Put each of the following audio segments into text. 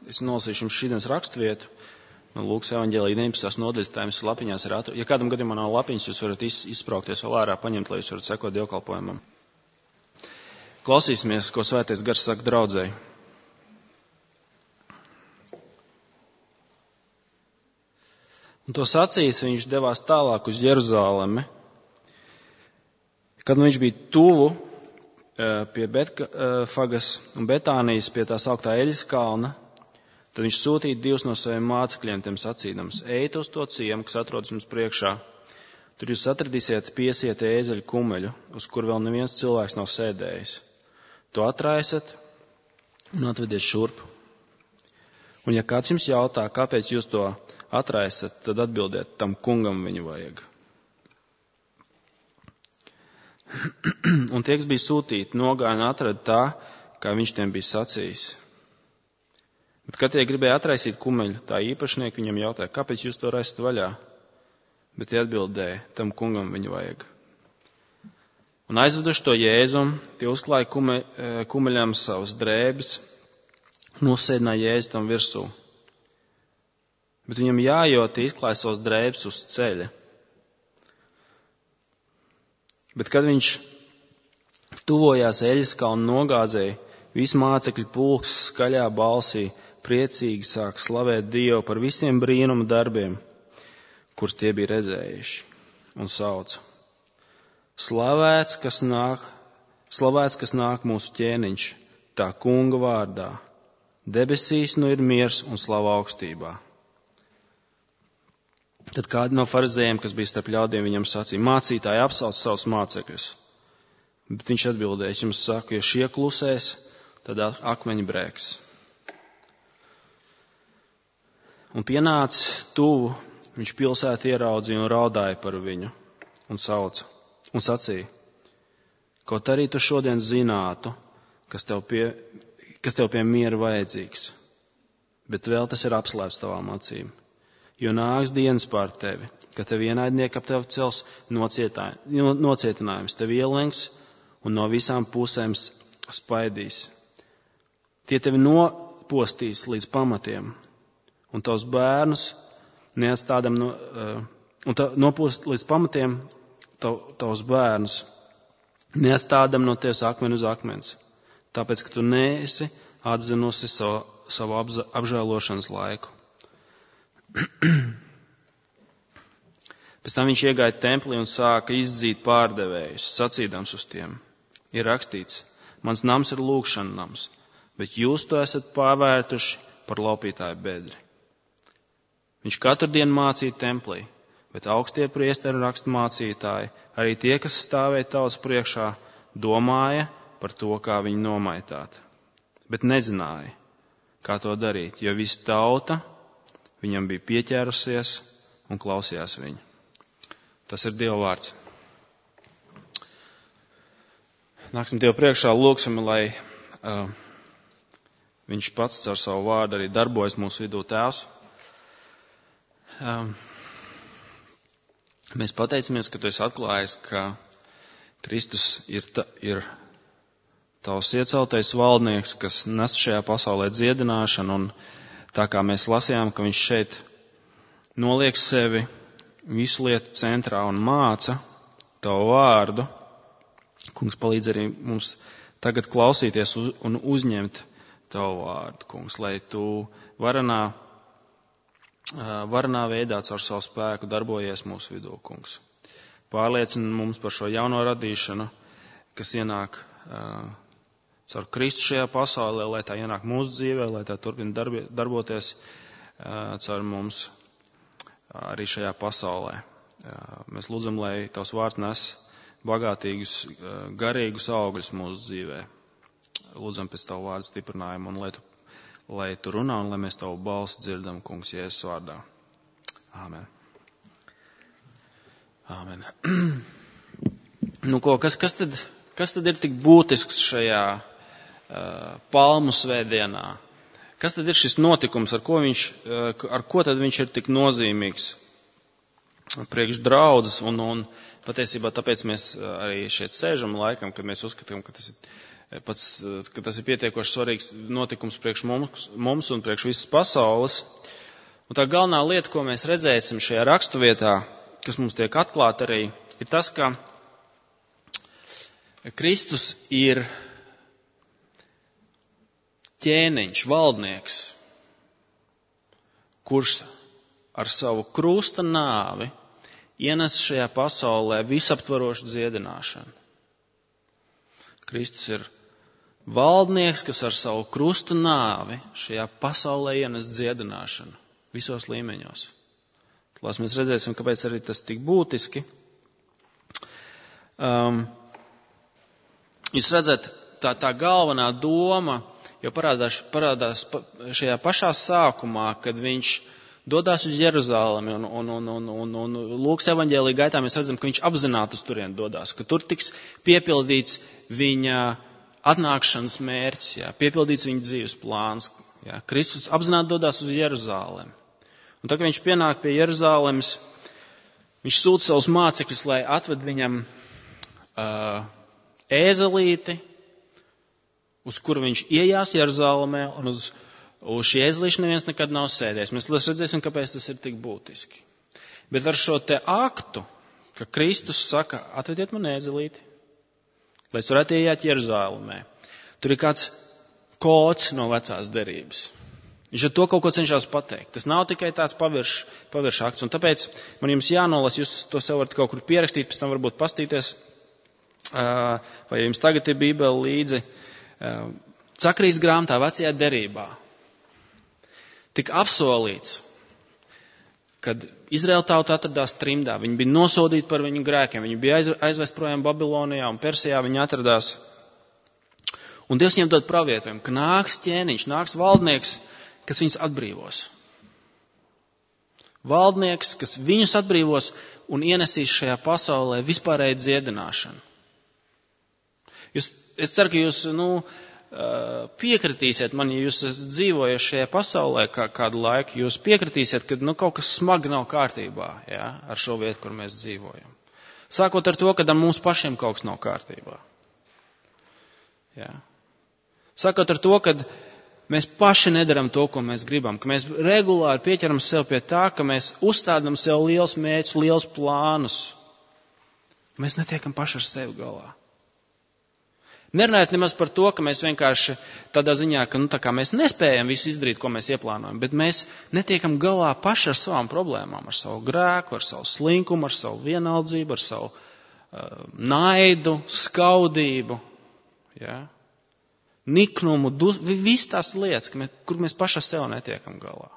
Es nolasīšu jums šīdienas raksturvietu no Lūkas evaņģēlija 19. nodaļas, tā jums lapiņās ir Ja kādam gadījumā nav lapiņas, jūs varat izspraukties vēl ārā, paņemt, lai jūs varat sekot dievkalpojumam. Klausīsimies, ko Svētais Gars saka draudzei. Un to sacījis, viņš devās tālāk uz Jeruzalemi. Kad viņš bija tuvu pie Betfagas un Betānijas, pie tā sauktā Eļas kalna, tad viņš sūtīja 2 no saviem mācekļiem, tiem sacīdams: ejiet uz to ciemu, kas atrodas jums priekšā. Tur jūs atradīsiet piesieti ēzeļu kumeļu, uz kur vēl neviens cilvēks nav sēdējis. To atraisat un atvediet šurp. Un ja kāds jums jautā, kāpēc jūs to atraisat, tad atbildiet, tam kungam viņu vajag. Un tie, kas bija sūtīti, nogāja un atrada tā, kā viņš tiem bija sacījis. Bet, kad tie gribēja atraisīt kumeļu, tā īpašnieki viņam jautāja, kāpēc jūs to raisat vaļā? Bet tie atbildēja, tam kungam viņu vajag. Un aizveduši to Jēzum, tie uzklāja kumeļām savas drēbes un uzsēdināja Jēzu tam virsū. Bet viņam jājot, izklāja savas drēbes uz ceļa. Bet, kad viņš tuvojās Eļas kalna nogāzei, visi mācekļu pulks skaļā balsī priecīgi sāk slavēt Dievu par visiem brīnuma darbiem, kurus tie bija redzējuši, un sauca: Slavēts, kas nāk mūsu ķēniņš, tā kunga vārdā. Debesīs nu ir miers un slava augstībā. Tad kādi no farizējiem, kas bija starp ļaudīm, viņam sacīja: mācītāji, apsauc savus mācekļus. Bet viņš atbildēja: es jums saku, ja šie klusēs, tad akmeņi brēks. Un pienācis tuvu, viņš pilsētu ieraudzīja un raudāja par viņu un sauca un sacīja: kaut arī tu šodien zinātu, kas tev pie miera vajadzīgs, bet vēl tas ir apslēpts tavām acīm. Jo nāks dienas pār tevi, ka tev ienaidnieki ap tevi cels nocietinājums, tev ielenks un no visām pusēm spaidīs. Tie tevi nopostīs līdz pamatiem, un tavs bērnus neatstādam nopūst līdz pamatiem tavus bērnus, neatstādam no tevis akmeni uz akmens, tāpēc, ka tu neesi atzinusi savu apžēlošanas laiku. Pēc tam viņš iegāja templī un sāka izdzīt pārdevējus, sacīdams uz tiem: ir rakstīts, mans nams ir lūgšana nams, bet jūs to esat pārvērtuši par laupītāju bedri. Viņš katru dienu mācīja templī, bet augstie priesteri un raksturmācītāji, arī tie, kas stāvēja tautas priekšā, domāja par to, kā viņu nomaitāt. Bet nezināja, kā to darīt, jo visa tauta viņam bija pieķērusies un klausījās viņu. Tas ir Dieva vārds. Nāksim Dievu priekšā, lūgsim, lai viņš pats ar savu vārdu arī darbojas mūsu vidū. Tēvs. Mēs pateicamies, ka tu esi atklājis, ka Kristus ir tavs ieceltais valdnieks, kas nes šajā pasaulē dziedināšanu, un tā kā mēs lasījām, ka viņš šeit noliek sevi visu lietu centrā un māca tavu vārdu, kungs, palīdz arī mums tagad klausīties un uzņemt tavu vārdu, kungs, lai tu varanā veidā caur savu spēku darbojies mūsu vidū, kungs. Pārliecina mums par šo jauno radīšanu, kas ienāk caur Kristu šajā pasaulē, lai tā ienāk mūsu dzīvē, lai tā turpina darboties caur mums arī šajā pasaulē. Mēs lūdzam, lai tavs vārds nes bagātīgus, garīgus augļus mūsu dzīvē. Lūdzam pēc tavu vārdu stiprinājumu, un lai tu runā, un lai mēs tavu balsi dzirdam, kungs, Jēzus vārdā. Āmen. Āmen. Nu ko, kas tad ir tik būtisks šajā Palmu svētdienā? Kas tad ir šis notikums, ar ko tad viņš ir tik nozīmīgs priekš draudzes, un patiesībā tāpēc mēs arī šeit sēžam laikam, kad mēs uzskatām, ka tas ir pietiekoši svarīgs notikums priekš mums un priekš visas pasaules. Un tā galvenā lieta, ko mēs redzēsim šajā raksturvietā, kas mums tiek atklāta arī, ir tas, ka Kristus ir ķēniņš, valdnieks, kurš ar savu krusta nāvi ienes šajā pasaulē visaptvarošu dziedināšanu. Kristus ir valdnieks, kas ar savu krusta nāvi šajā pasaulē ienes dziedināšanu visos līmeņos. Tās mēs redzēsim, kāpēc arī tas tik būtiski. Jūs redzat, tā galvenā doma jau parādās šajā pašā sākumā, kad viņš dodās uz Jeruzalemi, un Lūkas evaņģēlija gaitā mēs redzam, ka viņš apzināti uz turieni dodās, ka tur tiks piepildīts viņa atnākšanas mērķis, piepildīts viņa dzīves plāns. Kristus apzināti dodās uz Jeruzalemi. Un tad, kad viņš pienāk pie Jeruzalemes, viņš sūta savus mācekļus, lai atved viņam ēzelīti, uz kuru viņš iejās Jeruzalemē, un uz šī ēzelīša neviens nekad nav sēdējis. Mēs redzēsim, kāpēc tas ir tik būtiski. Bet ar šo te aktu, ka Kristus saka, atvediet man ēzelīti, lai es varētu iejāt Jeruzalemē, tur ir kāds kods no vecās derības. Viņš ar to kaut ko cenšas pateikt. Tas nav tikai tāds pavirš akts. Un tāpēc man jums jānolas, jūs to sev varat kaut kur pierakstīt, pēc tam varbūt pastīties, vai jums tagad ir Bībele līdzi. Zakarijas grāmatā vecajā derībā tika apsolīts, kad Izraēla tauta atradās trimdā. Viņi bija nosodīti par viņu grēkiem. Viņi bija aizvest projām Babilonijā un Persijā viņi atradās. Un Dievs viņiem dod pravietojumu, ka nāks ķēniņš, nāks valdnieks, kas viņus atbrīvos. Valdnieks, kas viņus atbrīvos un ienesīs šajā pasaulē vispārēju dziedināšanu. Es ceru, ka jūs piekritīsiet man, ja jūs esat dzīvojuši šajā pasaulē kādu laiku, jūs piekritīsiet, ka kaut kas smagi nav kārtībā ar šo vietu, kur mēs dzīvojam. Sākot ar to, ka ar mums pašiem kaut kas nav kārtībā. Sākot ar to, ka mēs paši nedaram to, ko mēs gribam, ka mēs regulāri pieķeram sev pie tā, ka mēs uzstādām sev liels mērķus, liels plānus. Mēs netiekam paši ar sevi galā. Nerunājot nemaz par to, ka mēs vienkārši tādā ziņā, ka tā kā mēs nespējam visu izdarīt, ko mēs ieplānojam, bet mēs netiekam galā paši ar savām problēmām, ar savu grēku, ar savu slinkumu, ar savu vienaldzību, ar savu naidu, skaudību, niknumu, visas tās lietas, kur mēs paši ar sevi netiekam galā.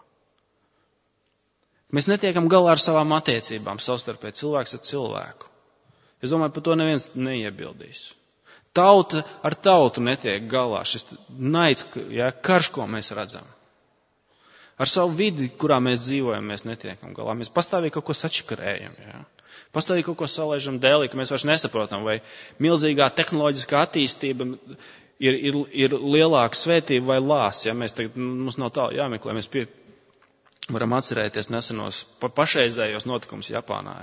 Mēs netiekam galā ar savām attiecībām, savstarpēji cilvēks ar cilvēku. Es domāju, par to neviens neiebildīs. Tauta ar tautu netiek galā, šis naids, karš, ko mēs redzam. Ar savu vidi, kurā mēs dzīvojam, mēs netiekam galā. Mēs pastāvīgi kaut ko sačakarējam, pastāvīgi kaut ko salaižam dēlī, ka mēs vairs nesaprotam, vai milzīgā tehnoloģiskā attīstība ir lielāka svētība vai lās. Mums nav tā jāmeklē, mēs varam atcerēties nesenos pašreizējos notikumus Japānā.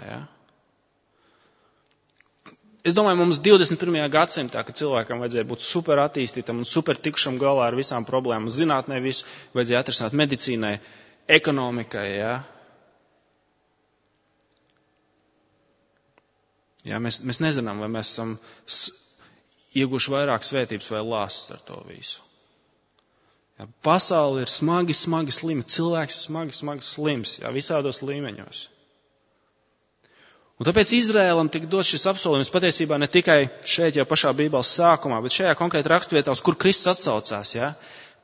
Es domāju, mums 21. gadsimtā, kad cilvēkam vajadzēja būt super attīstītam un super tikušam galā ar visām problēmām, zinātnē visu vajadzēja atrisināt, medicīnai, ekonomikai, Mēs nezinām, vai mēs esam ieguši vairāk svētības vai lāsas ar to visu. Pasaule ir smagi slima, cilvēks smagi slims, visādos līmeņos. Un tāpēc Izrēlam tika dots šis apsolījums patiesībā ne tikai šeit jau pašā Bībeles sākumā, bet šajā konkrēti raksturvietā, uz kur Kristus atsaucās,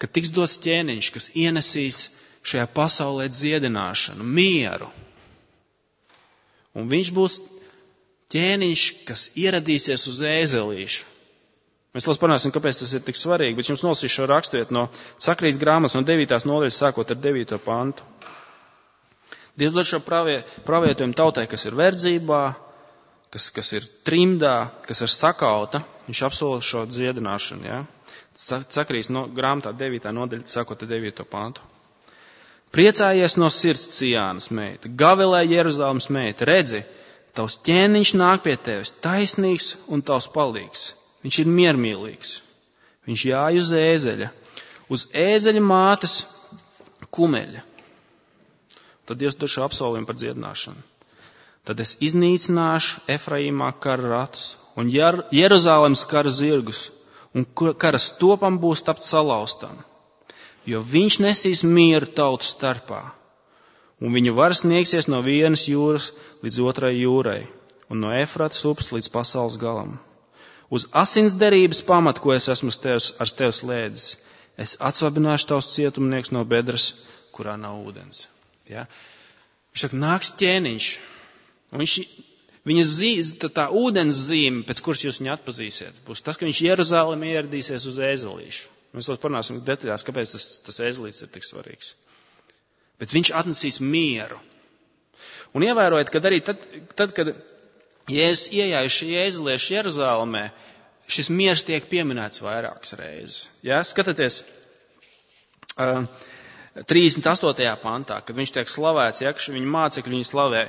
ka tiks dots ķēniņš, kas ienesīs šajā pasaulē dziedināšanu, mieru. Un viņš būs ķēniņš, kas ieradīsies uz ēzelīša. Mēs parunāsim, kāpēc tas ir tik svarīgi, bet jums nolasīšu šo raksturvietu no Zakarijas grāmatas no 9. nodaļas, sākot ar 9. pantu. Dievs dod šo pravietojumu tautai, kas ir verdzībā, kas ir trimdā, kas ir sakauta. Viņš apsola šo dziedināšanu. Zakarijas grāmatā 9. nodaļa, sākot ar 9. pantu. Priecājies no sirds, Cijānas meita, gavilē Jeruzalemes meita, redzi, tavs ķēniņš nāk pie tevis, taisnīgs un tavs palīgs. Viņš ir miermīlīgs. Viņš jāj uz ēzeļa mātes kumeļa. Tad Dievs dod šo apsolījumu par dziedināšanu. Tad es iznīcināšu Efraīmā kara ratus un Jeruzalemes kara zirgus, un kara stopam būs tapt salauztam, jo viņš nesīs mieru tautu starpā, un viņa varas sniegsies no vienas jūras līdz otrai jūrai, un no Efratas upes līdz pasaules galam. Uz asins derības pamatu, ko es esmu ar tevi slēdzis, es atsvabināšu tavus cietumnieks no bedres, kurā nav ūdens. Ja? Viņš saka, nāks ķēniņš. Un viņa tā ūdens zīme, pēc kuras jūs viņu atpazīsiet, būs tas, ka viņš Jeruzālēmē ieradīsies uz ēzelīšu. Mēs vēl parunāsim detaļās, kāpēc tas ēzelīts ir tik svarīgs. Bet viņš atnesīs mieru. Un ievērojiet, kad arī tad kad Jēzus iejājuši ēzeliešu Jeruzālēmē, šis miers tiek pieminēts vairākas reizes. Ja? Skatieties, 38. pantā, kad viņš tiek slavēts, ja, ka viņa mācekļi viņu slavē.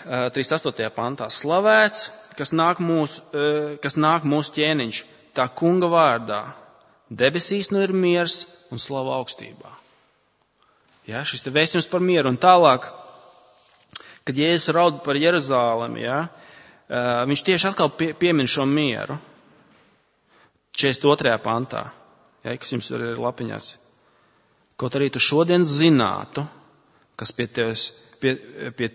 38. pantā slavēts, kas nāk mūsu ķēniņš, tā kunga vārdā. Debesīs nu ir miers un slava augstībā. Ja, šis te vēstījums par mieru. Un tālāk, kad Jēzus raud par Jeruzālemi, ja, viņš tieši atkal piemin šo mieru. 42. pantā, ja, kas jums ir lapiņās. Kaut arī tu šodien zinātu, kas pie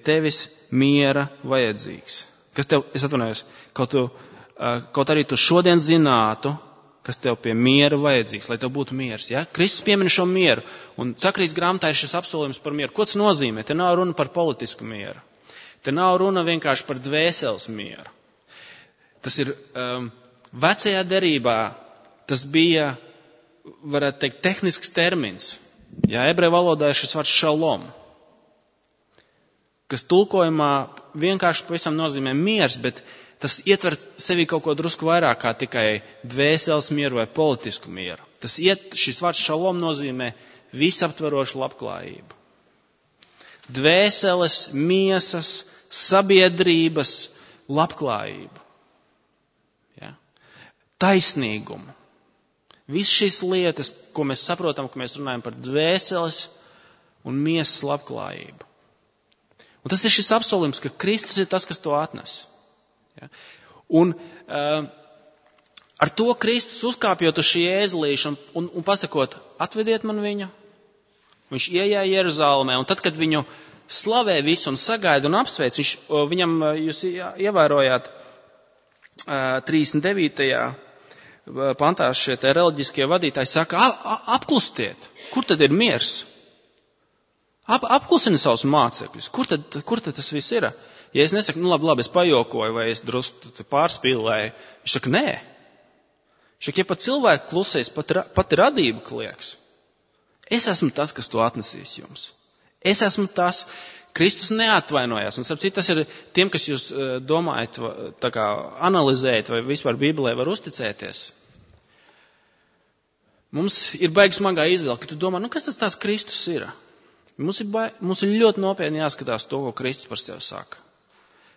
tevis miera vajadzīgs. Es atvainojos, kaut arī tu šodien zinātu, kas tev pie miera vajadzīgs, lai tev būtu miers. Ja? Kristus piemin šo mieru, un Sakrijas grāmatā ir šis apsolījums par mieru. Ko tas nozīmē? Te nav runa par politisku mieru. Te nav runa vienkārši par dvēseles mieru. Tas ir vecajā derībā, tas bija, varētu teikt, tehnisks termins. Ja, ebreju valodā ir šis vārds šalom, kas tulkojumā vienkārši pavisam nozīmē miers, bet tas ietver sevi kaut ko drusku vairāk kā tikai dvēseles mieru vai politisku mieru. Šis vārds šalom nozīmē visaptverošu labklājību. Dvēseles, miesas, sabiedrības labklājību. Ja? Taisnīgumu. Visas šīs lietas, ko mēs saprotam, ka mēs runājam par dvēseles un miesas labklājību. Un tas ir šis apsolījums, ka Kristus ir tas, kas to atnes. Ja? Un ar to Kristus uzkāpjot uz šī ēzelīša un pasakot, atvediet man viņu, viņš iejāja Jeruzālēmē, un tad, kad viņu slavē visu un sagaida un apsveic, viņam, jūs ievērojāt 39. pantā šie te reliģiskie vadītāji saka, apklustiet, kur tad ir miers? Apklusini savus mācekļus, kur tad tas viss ir? Ja es nesaku, labi, es pajokoju vai es drusku pārspīlēju, viņš saka, nē. Viņš saka, ja pat cilvēki klusēs, pat radība klieks. Es esmu tas, kas to atnesīs jums. Es esmu tas, Kristus neatvainojās. Un, starp citu, tas ir tiem, kas jūs domājat, tā kā analizējat vai vispār Bībelē var uzticēties. Mums ir baigi smagā izvēle, ka tu domā, kas tas tās Kristus ir? Mums ir ļoti nopietni jāskatās to, ko Kristus par sevi saka.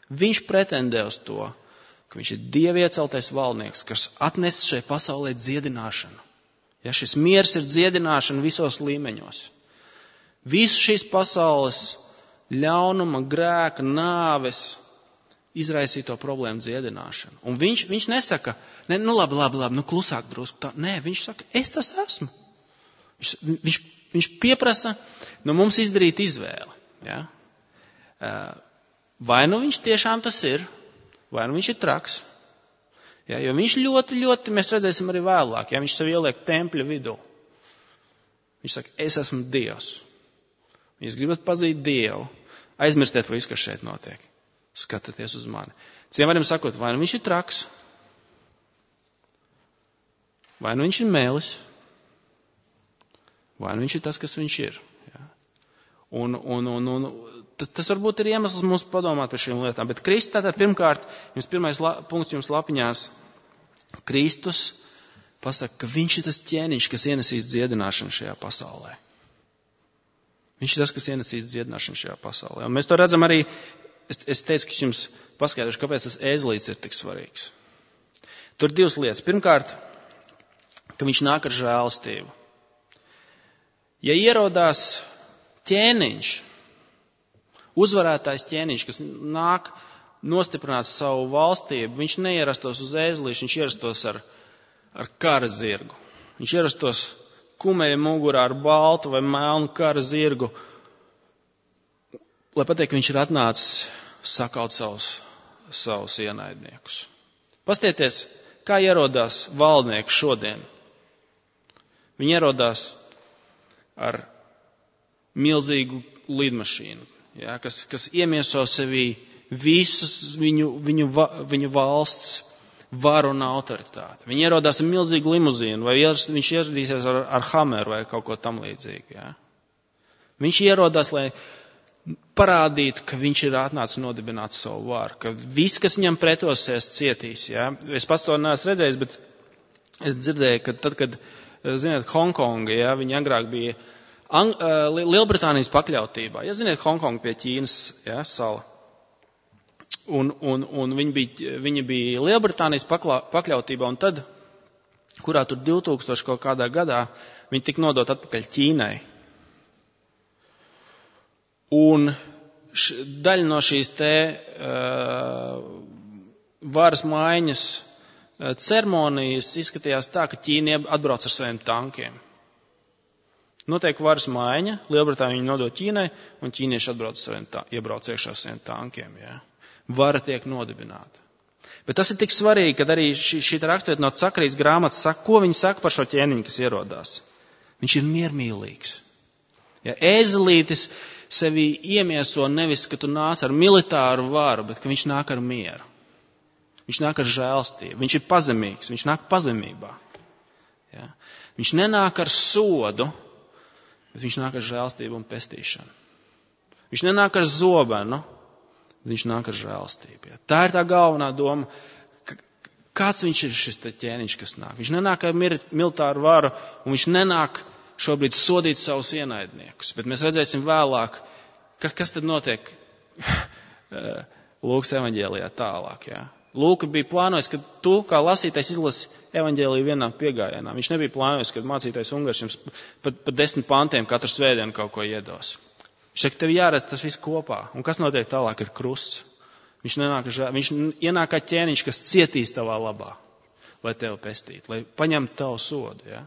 Viņš pretendē uz to, ka viņš ir Dieva ieceltais valdnieks, kas atnes šai pasaulē dziedināšanu. Ja, šis miers ir dziedināšana visos līmeņos. Visu šīs pasaules ļaunuma, grēka, nāves izraisīto problēmu dziedināšanu. Un viņš nesaka, labi, klusāk drusku. Tā. Nē, viņš saka, es tas esmu. Viņš pieprasa no mums izdarīt izvēli. Ja? Vai nu viņš tiešām tas ir, vai nu viņš ir traks. Ja? Jo viņš ļoti, ļoti, mēs redzēsim arī vēlāk, ja viņš sev ieliek tempļa vidū. Viņš saka, es esmu Dievs. Ja jūs gribat pazīt Dievu, aizmirstiet visu, kas šeit notiek. Skatieties uz mani. Citiem varam sakot, vai nu viņš ir traks, vai nu viņš ir mēlis, vai nu viņš ir tas, kas viņš ir. Ja? Un tas varbūt ir iemesls mums padomāt par šīm lietām. Bet Kristus tātad pirmkārt, pirmais punkts jums lapiņās, Kristus pasaka, ka viņš ir tas ķēniņš, kas ienesīs dziedināšanu šajā pasaulē. Viņš ir tas, kas ienesīs dziedināšanu šajā pasaulē. Un mēs to redzam arī, es teicu, ka jums paskaidrošu, kāpēc tas ēzelīts ir tik svarīgs. Tur ir divas lietas. Pirmkārt, ka viņš nāk ar žēlastību. Ja ierodās ķēniņš, uzvarētājs ķēniņš, kas nāk nostiprināt savu valstību, viņš neierastos uz ēzelīšu, viņš ierastos ar kara zirgu. Viņš ierastos kumeļa mugurā ar baltu vai melnu kara zirgu, lai pateikt, ka viņš ir atnācis sakaut savus ienaidniekus. Pastieties, kā ierodās valdnieki šodien. Viņi ierodās ar milzīgu lidmašīnu, ja, kas iemieso sevī visus viņu valsts varu un autoritāti. Viņi ierodās ar milzīgu limuzīnu, vai viņš ieradīsies ar Hammeru vai kaut ko tam līdzīgu. Ja. Viņš ierodās, lai parādītu, ka viņš ir atnācis nodibināt savu varu, ka viss, kas viņam pretosies, cietīs. Ja. Es pats to neesmu redzējis, bet es dzirdēju, ka tad, kad, ziniet, Hongkonga, ja, viņi agrāk bija Lielbritānijas pakļautībā. Ja ziniet, Hongkonga pie Ķīnas, ja, sala. Un viņi bija Lielbritānijas pakļautībā, un tad, kurā tur 2000 kaut kādā gadā, viņi tika nodot atpakaļ Ķīnai. Un daļa no šīs varas maiņas ceremonijas izskatījās tā, ka Ķīna atbrauc ar saviem tankiem. Notiek varas maiņa, Lielbritānija viņu nodot Ķīnai, un ķīnieši iebrauc iekšā saviem tankiem. Ja. Vara tiek nodibināta. Bet tas ir tik svarīgi, kad arī šī raksturvieta no Cakarijas grāmatas saka, ko viņi saka par šo ķēniņu, kas ierodās. Viņš ir miermīlīgs. Ja, ēzelītis sevi iemieso nevis, ka tu nāc ar militāru varu, bet ka viņš nāk ar mieru. Viņš nāk ar žēlstību. Viņš ir pazemīgs. Viņš nāk pazemībā. Ja. Viņš nenāk ar sodu, bet viņš nāk ar žēlstību un pestīšanu. Viņš nenāk ar zobenu, bet viņš nāk ar žēlstību. Ja. Tā ir tā galvenā doma. Kāds viņš ir šis ķēniņš, kas nāk? Viņš nenāk ar militāru varu, un viņš nenāk šobrīd sodīt savus ienaidniekus. Bet mēs redzēsim vēlāk, kas tad notiek Lūkas evaņģēlijā tālāk. Ja. Lūka bija plānojis, ka tu, kā lasītais, izlasi evaņģēliju vienā piegājienā. Viņš nebija plānojis, ka mācītais Ungars jums pa 10 pantiem katru svētdienu kaut ko iedos. Viņš saka, tev jāredz tas viss kopā. Un kas notiek tālāk ir krusts. Viņš ienāk kā ķēniņš, kas cietīs tavā labā, lai tevi pestītu, lai paņemtu tavu sodu, ja,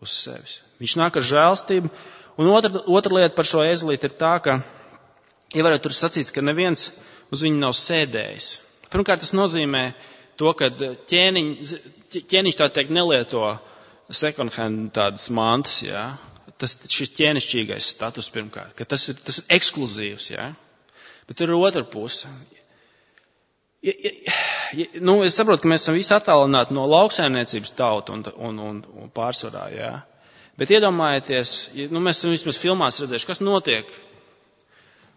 uz sevis. Viņš nāk ar žēlstību. Un otra lieta par šo ēzelīti ir tā, ka, ievērot, tur sacīts, ka neviens uz viņu nav sēdējis. Pirmkārt, tas nozīmē to, ka ķēniņš tā teikt nelieto second hand tādas mantas, jā. Šis ķēnišķīgais status pirmkārt, ka tas ir ekskluzīvs, jā. Bet tur ir otra puse. Es saprotu, ka mēs esam visi attālināti no lauksaimniecības tautu un pārsvarā, jā. Bet iedomājieties, mēs esam vismaz filmās redzējuši, kas notiek,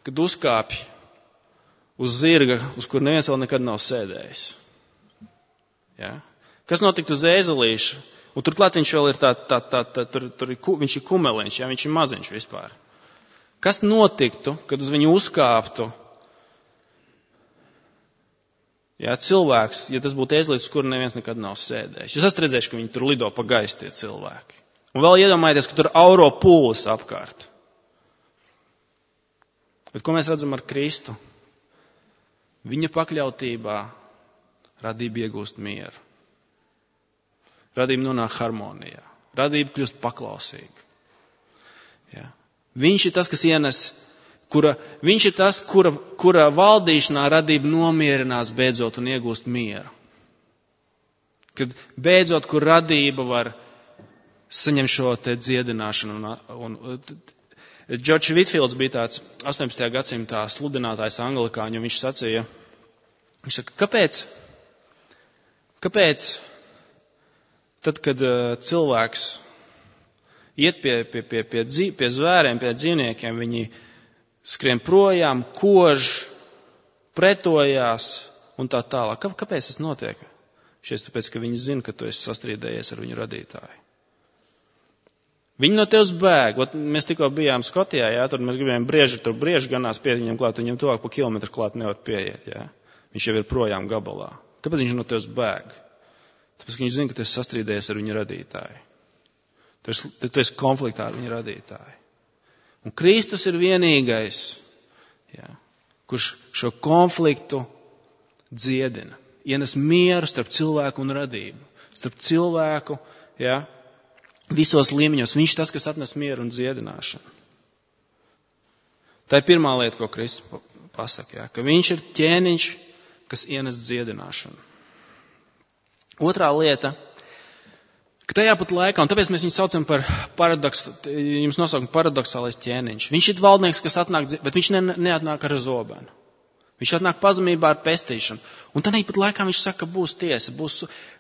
kad uzkāpj uz zirga, uz kur neviens vēl nekad nav sēdējis. Ja? Kas notiktu uz ēzelīša? Un turklāt viņš vēl ir viņš ir kumeliņš, ja? Viņš ir maziņš vispār. Kas notiktu, kad uz viņu uzkāptu cilvēks, ja tas būtu ēzelīts, uz kuru neviens nekad nav sēdējis? Jūs esat redzējuši, ka viņi tur lido pa gaisu tie cilvēki. Un vēl iedomājieties, ka tur auro pūles apkārt. Bet ko mēs redzam ar Kristu? Viņa pakļautībā radība iegūst mieru. Radība nonāk harmonijā. Radība kļūst paklausīga. Ja. Viņš ir tas, kas ienes, viņš ir tas, kura valdīšanā radība nomierinās beidzot un iegūst mieru. Kad beidzot, kur radība var saņemt šo te dziedināšanu un Džordžs Vitfields bija tāds 18. gadsimtā sludinātājs anglikāņu, un viņš saka, kāpēc tad, kad cilvēks iet pie zvēriem, pie dzīvniekiem, viņi skrien projām, kož, pretojās un tā tālāk. Kāpēc tas notiek? Tāpēc, ka viņi zina, ka tu esi sastrīdējies ar viņu radītāju. Viņi no tevis bēg. Mēs tikko bijām Skotijā, tad mēs gribējām brieži ganās pie viņam klāt, viņam tuvāk pa kilometru klāt nevar pieiet. Viņš jau ir projām gabalā. Kāpēc viņš no tevis bēg? Tāpēc, ka viņš zina, ka tu esi sastrīdējies ar viņa radītāju. Tu esi konfliktā ar viņa radītāju. Un Kristus ir vienīgais, kurš šo konfliktu dziedina. Ienes mieru starp cilvēku un radību. Starp cilvēku, visos līmeņos. Viņš tas, kas atnes mieru un dziedināšanu. Tā ir pirmā lieta, ko Kristus pasaka, ka viņš ir ķēniņš, kas ienes dziedināšanu. Otrā lieta, ka tajā pat laikā, un tāpēc mēs viņu saucam par jums nosaukam paradoxālais ķēniņš. Viņš ir valdnieks, kas atnāk, bet viņš neatnāk ar zobenu. Viņš atnāk pazemībā ar pestīšanu. Un tādā pat laikā viņš saka, ka būs tiesa.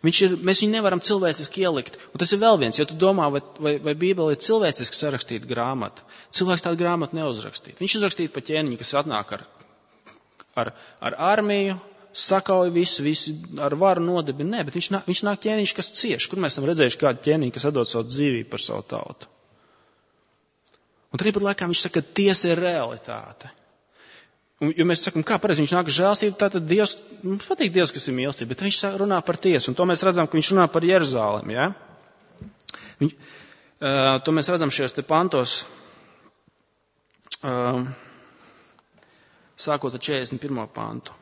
Mēs viņu nevaram cilvēciski ielikt. Un tas ir vēl viens, ja tu domā, vai Bībele ir cilvēciski sarakstīta grāmata. Cilvēks tādu grāmatu neuzrakstīt. Viņš uzrakstīja pa ķēniņu, kas atnāk ar armiju, sakauj visu ar varu nodibina. Nē, bet viņš nāk ķēniņš, kas cieš. Kur mēs esam redzējuši kādu ķēniņu, kas atdod savu dzīvību par savu tautu? Un tādā pat laikā viņš saka, ka tiesa ir realitāte. Jo mēs sakam, kā pareizi viņš nāk žēlstību, tātad Dievs, mums patīk Dievs, kas ir mīlestība, bet viņš runā par tiesu, un to mēs redzam, ka viņš runā par Jeruzālemi, To mēs redzam šajos te pantos, sākot ar 41. pantu.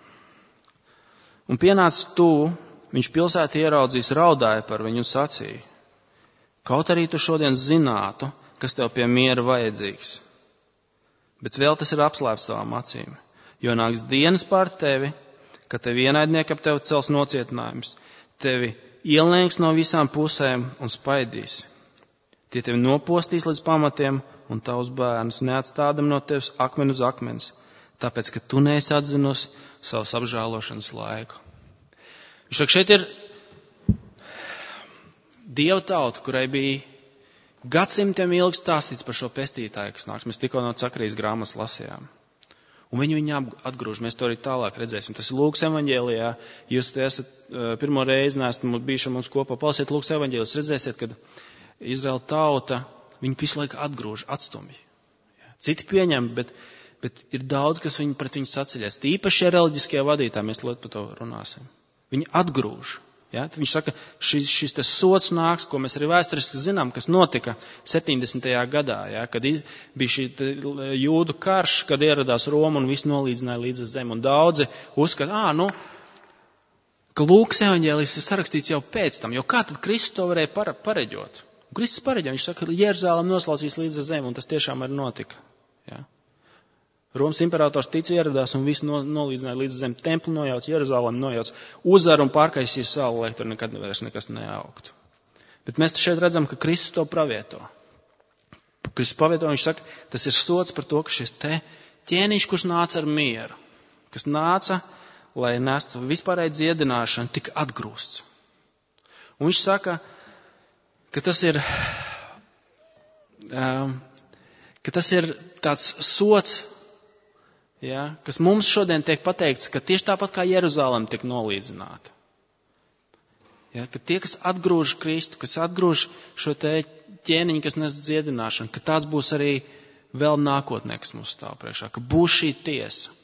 Un pienāca tuvu, viņš pilsētu ieraudzījis, raudāja par viņu un sacīja. Kaut arī tu šodien zinātu, kas tev pie miera vajadzīgs, bet vēl tas ir apslēpts tavām acīm. Jo nāks dienas pār tevi, ka tevi ienaidnieki ap tevi cels nocietinājums, tevi ielēks no visām pusēm un spaidīs. Tie tevi nopostīs līdz pamatiem un tavus bērnus neatstādam no tevis akmeni uz akmens, tāpēc, ka tu neesi atzinusi savas apžēlošanas laiku. Viņš saka, šeit ir Dieva tauta, kurai bija gadsimtiem ilgi stāstīts par šo pestītāju, kas nāks. Mēs tikko no Cakarijas grāmatas lasījām. Un viņu atgrūž. Mēs to arī tālāk redzēsim. Tas ir Lūkas evaņģēlijā. Jūs te esat pirmo reizi neesat bijuši mums kopā. Palasiet Lūkas evaņģēlijas. Redzēsiet, kad Izraela tauta, viņi visu laiku atgrūž, atstumj. Citi pieņem, bet ir daudz, kas pret viņu saceļas. Tīpaši šie reliģiskie vadītāji, mēs par to runāsim. Viņi atgrūž. Viņš saka, šis te sots nāks, ko mēs arī vēsturiski zinām, kas notika 70. gadā, kad bija šī jūdu karš, kad ieradās Roma un viss nolīdzināja līdz zemi. Un daudzi uzskata, ka Lūkas evaņģēlijs ir sarakstīts jau pēc tam, jo kā tad Kristus to varēja pareģot? Un Kristus pareģo, viņš saka, ka Jeruzālem noslaucīs līdz zemi, un tas tiešām arī notika. Romas imperators ieradās un visu nolīdzināja līdz zem, templi nojauc, Jeruzālem nojauc, uzvar un pārkaisīja salu, lai tur nekad nekas neaugtu. Bet mēs šeit redzam, ka Kristus to pravieto. Kristus pravieto, viņš saka, tas ir sots par to, ka šis te ķēniņš, kurš nāca ar mieru, kas nāca, lai nestu vispārēju dziedināšanu, tika atgrūsts. Un viņš saka, ka tas ir tāds sots, kas mums šodien tiek pateikts, ka tieši tāpat kā Jeruzālem tiek nolīdzināta. Ka tie, kas atgrūž Kristu, kas atgrūž šo te ķēniņu, kas nes dziedināšanu, ka tāds būs arī vēl nākotnē, kas mums stāv priekšā, ka būs šī tiesa.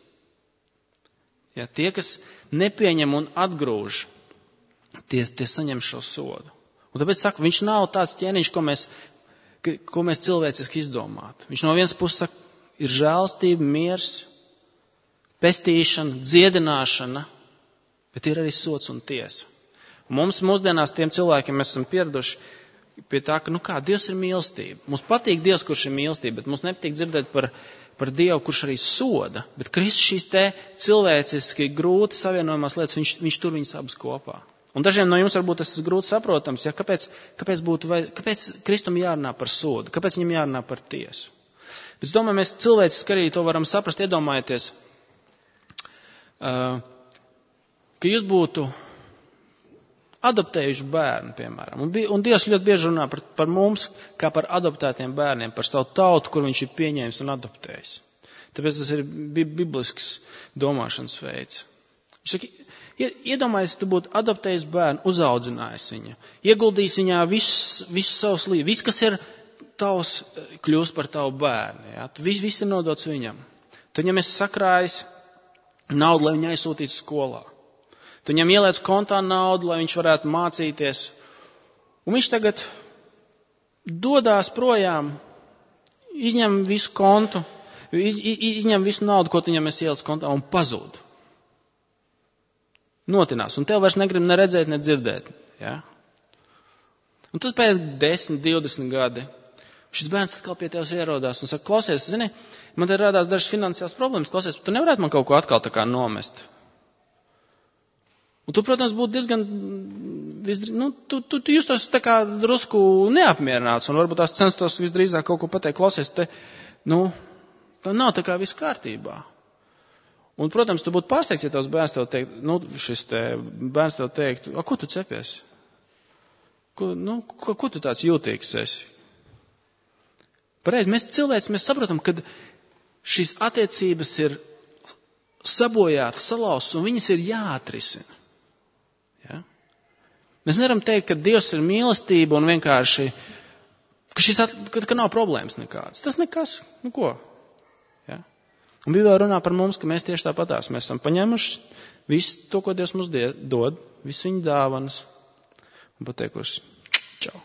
Tie, kas nepieņem un atgrūž, tie saņem šo sodu. Un tāpēc saka, viņš nav tāds ķēniņš, ko mēs cilvēciski izdomātu. Viņš no vienas puses saka, ir žēlstība, miers, pestīšana, dziedināšana, bet ir arī sots un tiesa. Un mums mūsdienās tiem cilvēkiem mēs esam pieraduši pie tā, ka Dievs ir mīlestība. Mums patīk Dievs, kurš ir mīlestība, bet mums nepatīk dzirdēt par Dievu, kurš arī soda. Bet Kristus šīs te cilvēciski grūti savienojumās lietas, viņš tur viņas abas kopā. Un dažiem no jums varbūt tas ir grūti saprotams, kāpēc Kristum jārunā par sodu, kāpēc viņam jārunā par tiesu. Bet es domāju, mēs cilvēciski arī to varam saprast, iedomājieties, ka jūs būtu adoptējuši bērnu, piemēram. Un Dievs ļoti bieži runā par mums, kā par adoptētiem bērniem, par savu tautu, kur viņš ir pieņēmis un adoptējis. Tāpēc tas ir biblisks domāšanas veids. Viņš saka, iedomājies, tu būtu adoptējis bērnu, uzaudzinājis viņu, ieguldījis viņā visu savus līdzekļus, viss, kas ir tavs kļūst par tavu bērnu. Ja? Viss ir nodots viņam. Tu viņam esi sakrājis naudu, lai viņu aizsūtītu skolā. Tu viņam ieliec kontā naudu, lai viņš varētu mācīties. Un viņš tagad dodās projām, izņem visu kontu, izņem visu naudu, ko tu viņam esi ielicis kontā un pazūd. Notinās. Un tev vairs negrib ne redzēt, ne dzirdēt. Ja? Un tad pēc 10, 20 gadi šis bērns atkal pie tevis ierodās un saka, klausies, zini, man te rādās dažas finansiālas problēmas, klausies, tu nevarētu man kaut ko atkal tā kā nomest. Un tu, protams, būtu diezgan, tu justos tā kā drusku neapmierināts un varbūt tās censtos visdrīzāk kaut ko pateikt, klausies, nav tā kā viss kārtībā. Un, protams, tu būtu pārsteigts, ja tavs bērns tev teikt, bērns tev teikt, ko tu cepies? Ko tu tāds jūtīgs esi? Pareizi, mēs cilvēci, mēs saprotam, ka šīs attiecības ir sabojātas, salauztas, un viņas ir jāatrisina. Ja? Mēs nevaram teikt, ka Dievs ir mīlestība un vienkārši, ka nav problēmas nekādas. Tas nekas, ko? Ja? Un Bībelē runā par mums, ka mēs tieši tāpatās. Mēs esam paņēmuši visu to, ko Dievs mums dod, visu viņa dāvanas, un pateikuši, čau.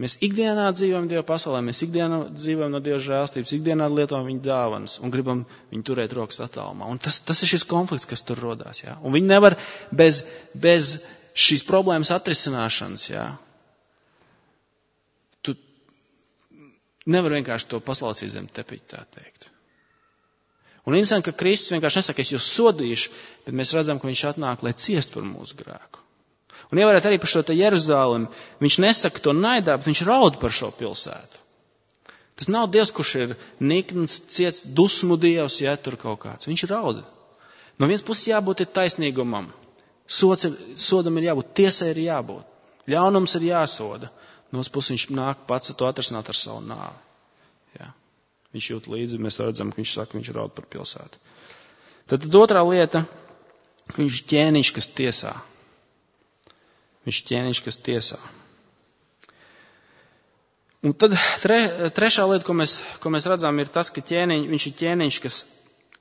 Mēs ikdienā dzīvojam Dieva pasaulē, mēs ikdienā dzīvojam no Dieva žēlstības, ikdienā lietojam viņa dāvanas un gribam viņu turēt rokas attālumā. Un tas ir šis konflikts, kas tur rodās. Ja? Un viņi nevar bez šīs problēmas atrisināšanas. Ja? Tu nevar vienkārši to paslaucīt zem tepiķa, tā teikt. Un interesanti, ka Kristus vienkārši nesaka, es jūs sodīšu, bet mēs redzam, ka viņš atnāk, lai ciest par mūsu grēku. Un ievērēt arī par šo te Jeruzalemi, viņš nesaka to naidā, bet viņš raud par šo pilsētu. Tas nav Dievs, kurš ir nikns, ciets, dusmu Dievs, ja tur kaut kāds. Viņš raud. No vienas puses jābūt ir taisnīgumam. Sodam ir jābūt, tiesai ir jābūt. Ļaunums ir jāsoda. No otras puses viņš nāk pats to atrasināt ar savu nāvi. Ja. Viņš jūt līdzi, mēs redzam, ka viņš saka, viņš raud par pilsētu. Tad otrā lieta, viņš ķēniņš, kas tiesā. Viņš ķēniņš, kas tiesā. Un tad trešā lieta, ko mēs redzam, ir tas, ka viņš ir ķēniņš, kas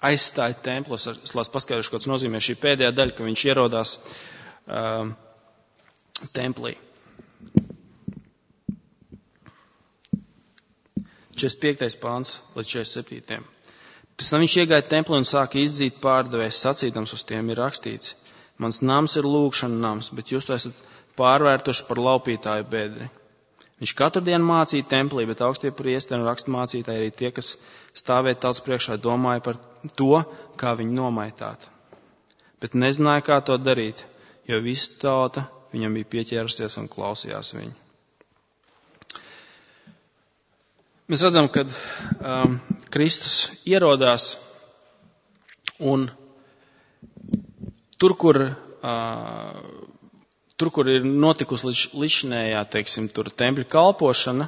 aizstāja templos. Es lās paskaidrošu, ko tas nozīmē šī pēdējā daļa, ka viņš ierodās templī. 45. pāns līdz 47. Pēc tam viņš iegāja templī un sāka izdzīt pārdevējs, sacīdams uz tiem ir rakstīts. Mans nams ir lūgšana nams, bet jūs to esat pārvērtuši par laupītāju bedri. Viņš katru dienu mācīja templī, bet augstie priesteri un rakstmācītāji arī tie, kas stāvēja tautas priekšā, domāja par to, kā viņu nomaitāt. Bet nezināja, kā to darīt, jo visa tauta viņam bija pieķērusies un klausījās viņu. Mēs redzam, ka Kristus ierodās un tur, kur ir notikusi līdzinējā, teiksim, tur tempļa kalpošana,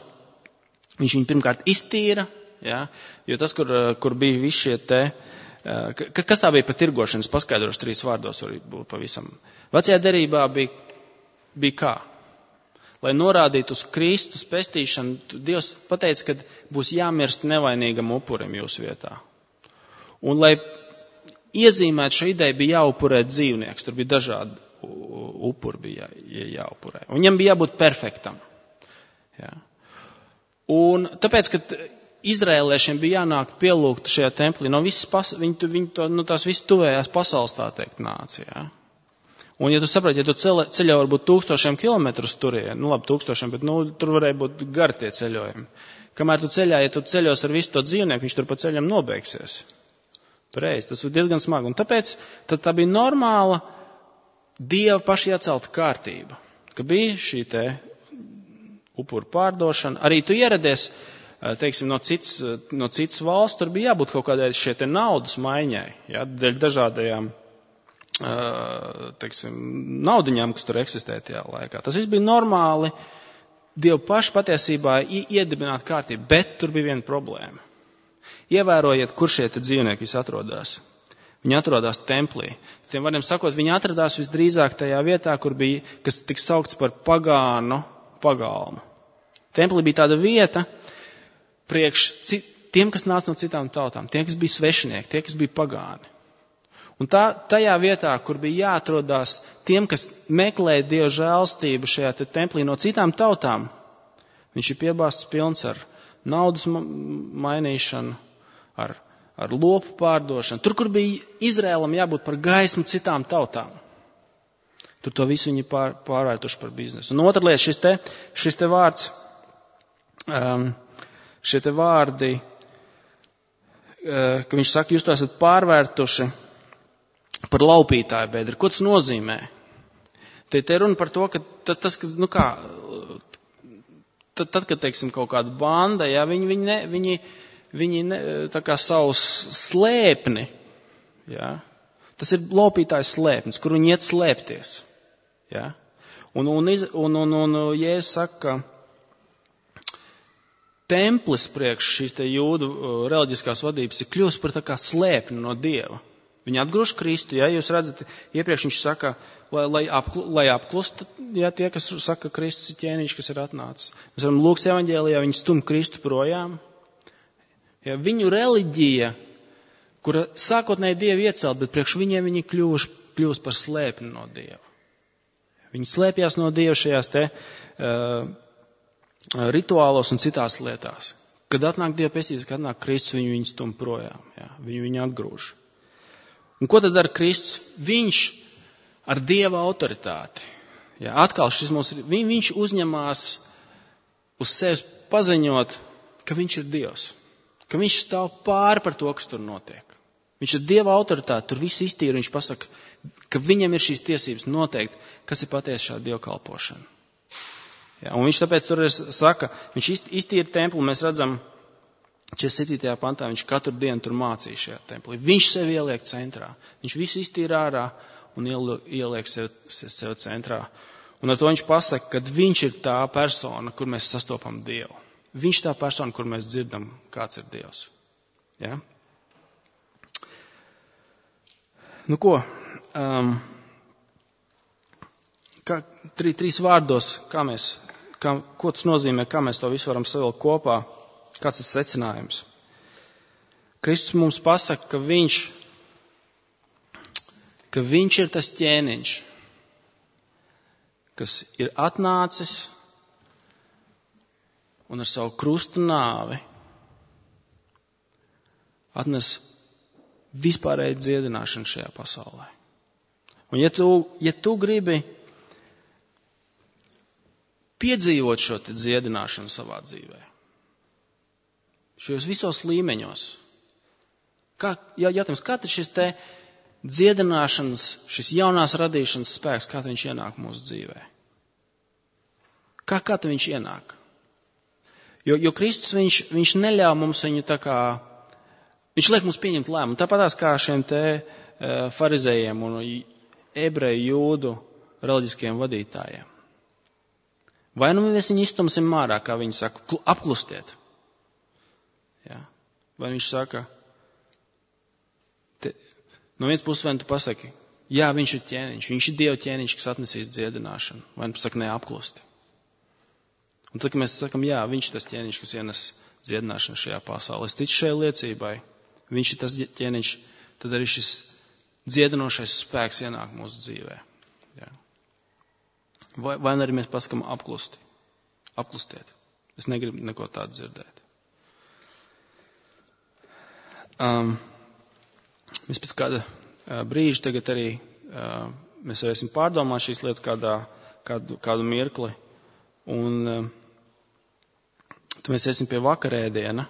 viņš viņu pirmkārt iztīra, ja, jo tas, kur bija visi šie te, kas tā bija pa tirgošanas, paskaidrošu 3 vārdos, var būt pavisam. Vecajā derībā bija kā? Lai norādītu uz Kristus pestīšanu, Dievs pateica, ka būs jāmirst nevainīgam upurim jūsu vietā. Un, lai iezīmēt šo ideju, bija jāupurē dzīvnieks. Tur bija dažādi upuri bija jāupurē. Un viņam bija jābūt perfektam. Jā. Un tāpēc, ka izrēliešiem bija jānāk pielūgt šajā templī, no tās visas tuvējās pasaules, tā teikt, nāca. Jā. Un, ja tu saproti, ja tu ceļo varbūt 1000 kilometrus turien, 1000, bet tur varēja būt gari tie ceļojumi. Kamēr tu ja tu ceļos ar visu to dzīvnieku, viņš tur pa ceļam nobeigsies. Pareizi, tas ir diezgan smagi. Un tāpēc tā bija normāla Dieva paši iecelta kārtība, ka bija šī te upuru pārdošana. Arī tu ieradies, teiksim, no citas valsts, tur bija jābūt kaut kādai šie te naudas maiņai, ja, dēļ dažādajām, teiksim, naudiņām, kas tur eksistē tajā laikā. Tas viss bija normāli Dieva paši patiesībā iedibināt kārtību, bet tur bija viena problēma. Ievērojiet, kur šie te dzīvnieki visi atrodās. Viņi atrodās templī. Es tiem vārdiem sakot, viņi atradās visdrīzāk tajā vietā, kur bija, kas tiks saukts par pagānu pagalmu. Templī bija tāda vieta priekš tiem, kas nāca no citām tautām, tiem, kas bija svešinieki, tie, kas bija pagāni. Un tajā vietā, kur bija jāatrodās tiem, kas meklēja Dieva žēlstību šajā templī no citām tautām, viņš ir piebāzts pilns ar naudas mainīšanu, ar lopu pārdošanu. Tur, kur bija Izrēlam jābūt par gaismu citām tautām, tur to visu viņi pārvērtuši par biznesu. Un otra lieta, šis te vārds, šie te vārdi, ka viņš saka, jūs to esat pārvērtuši par laupītāju bedri. Ko tas nozīmē? Te runa par to, ka tas, kas, tad, kad, teiksim, kaut kāda banda, ja, viņi tā kā savus slēpni, ja, tas ir laupītājs slēpnis, kur viņi iet slēpties. Ja. Un Jēzus saka, ka templis priekš šīs te jūdu reliģiskās vadības ir kļūst par tā kā slēpni no Dieva. Viņi atgrūž Kristu, ja jūs redzat, iepriekš viņš saka, lai apklust, ja tie, kas saka, ka Kristus ir ķēniņš, kas ir atnācis. Mēs varam Lūkas evaņģēlijā, viņi stum Kristu projām. Ja, viņu reliģija, kura sākotnēji Dievu iecelt, bet priekš viņiem viņi kļūst par slēpni no Dieva. Viņi slēpjās no Dieva šajās te rituālos un citās lietās. Kad atnāk Dieva pestība, kad atnāk Kristus, viņu stum projām, ja, viņu atgrūž. Un ko tad dara Kristus? Viņš ar Dieva autoritāti. Ja, atkal viņš uzņemās uz sevis paziņot, ka viņš ir Dievs. Ka viņš stāv pāri par to, kas tur notiek. Viņš ar Dieva autoritāti tur visu iztīra. Viņš pasaka, ka viņam ir šīs tiesības noteikt, kas ir patiesi šāda dievkalpošana. Ja, un viņš tāpēc tur saka, viņš iztīra templi, mēs redzam, 47. pantā viņš katru dienu tur mācīja šajā templī. Viņš sevi ieliek centrā. Viņš visu iztīra ārā un ieliek sevi centrā. Un ar to viņš pasaka, ka viņš ir tā persona, kur mēs sastopam Dievu. Viņš ir tā persona, kur mēs dzirdam, kāds ir Dievs. Ja? Nu ko? Trīs vārdos, ko tas nozīmē, kā mēs to visu varam savilkt kopā. Kāds ir secinājums? Kristus mums pasaka, ka viņš ir tas ķēniņš, kas ir atnācis un ar savu krustu nāvi atnes vispārēju dziedināšanu šajā pasaulē. Un ja tu gribi piedzīvot šo te dziedināšanu savā dzīvē, šajos visos līmeņos. Jautājums, kā tad šis te dziedināšanas, šis jaunās radīšanas spēks, kā viņš ienāk mūsu dzīvē? Kā tad viņš ienāk? Jo Kristus, viņš neļauj mums viņu tā kā, viņš liek mums pieņemt lēmumu. Tāpatās kā šiem te farizējiem un ebreju jūdu reliģiskiem vadītājiem. Vai nu mēs viņu iztumsim mārā, kā viņi saka, apklustiet. Ja. Vai viņš saka, no vienas puses vai tu pasaki, jā, viņš ir ķēniņš, viņš ir Dieva ķēniņš, kas atnesīs dziedināšanu, vai tu pasaki, neapklusti. Un tad, kad mēs sakam, jā, viņš ir tas ķēniņš, kas ienes dziedināšanu šajā pasaulē, es ticu šai liecībai, viņš ir tas ķēniņš, tad arī šis dziedinošais spēks ienāk mūsu dzīvē. Ja. Vai arī mēs pasakam apklustiet. Es negribu neko tādu dzirdēt. Mēs pēc kāda brīža tagad arī mēs varēsim pārdomāt šīs lietas kādu mirkli. Un tad mēs iesim pie vakarēdiena.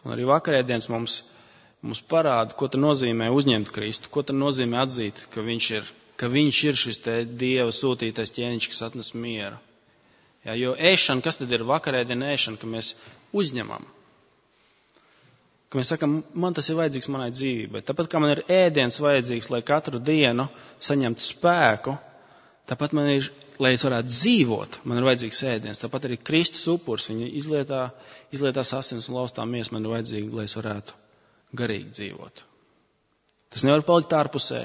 Un arī vakarēdienas mums parāda, ko tad nozīmē uzņemt Kristu, ko tad nozīmē atzīt, ka viņš ir šis te Dieva sūtītais ķēniņš, kas atnes mieru. Ja, jo ēšana, kas tad ir vakarēdiena ēšana, ka mēs uzņemam? Ka mēs sakam, man tas ir vajadzīgs manai dzīvībai. Tāpat kā man ir ēdiens vajadzīgs, lai katru dienu saņemtu spēku, tāpat man ir, lai es varētu dzīvot, man ir vajadzīgs ēdiens. Tāpat arī Kristus upurs, viņa izlietās asins un laustā miesa, man ir vajadzīgi, lai es varētu garīgi dzīvot. Tas nevar palikt ārpusē,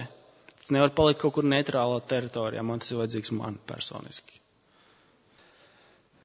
tas nevar palikt kaut kur neitrālā teritorijā, man tas ir vajadzīgs man personiski.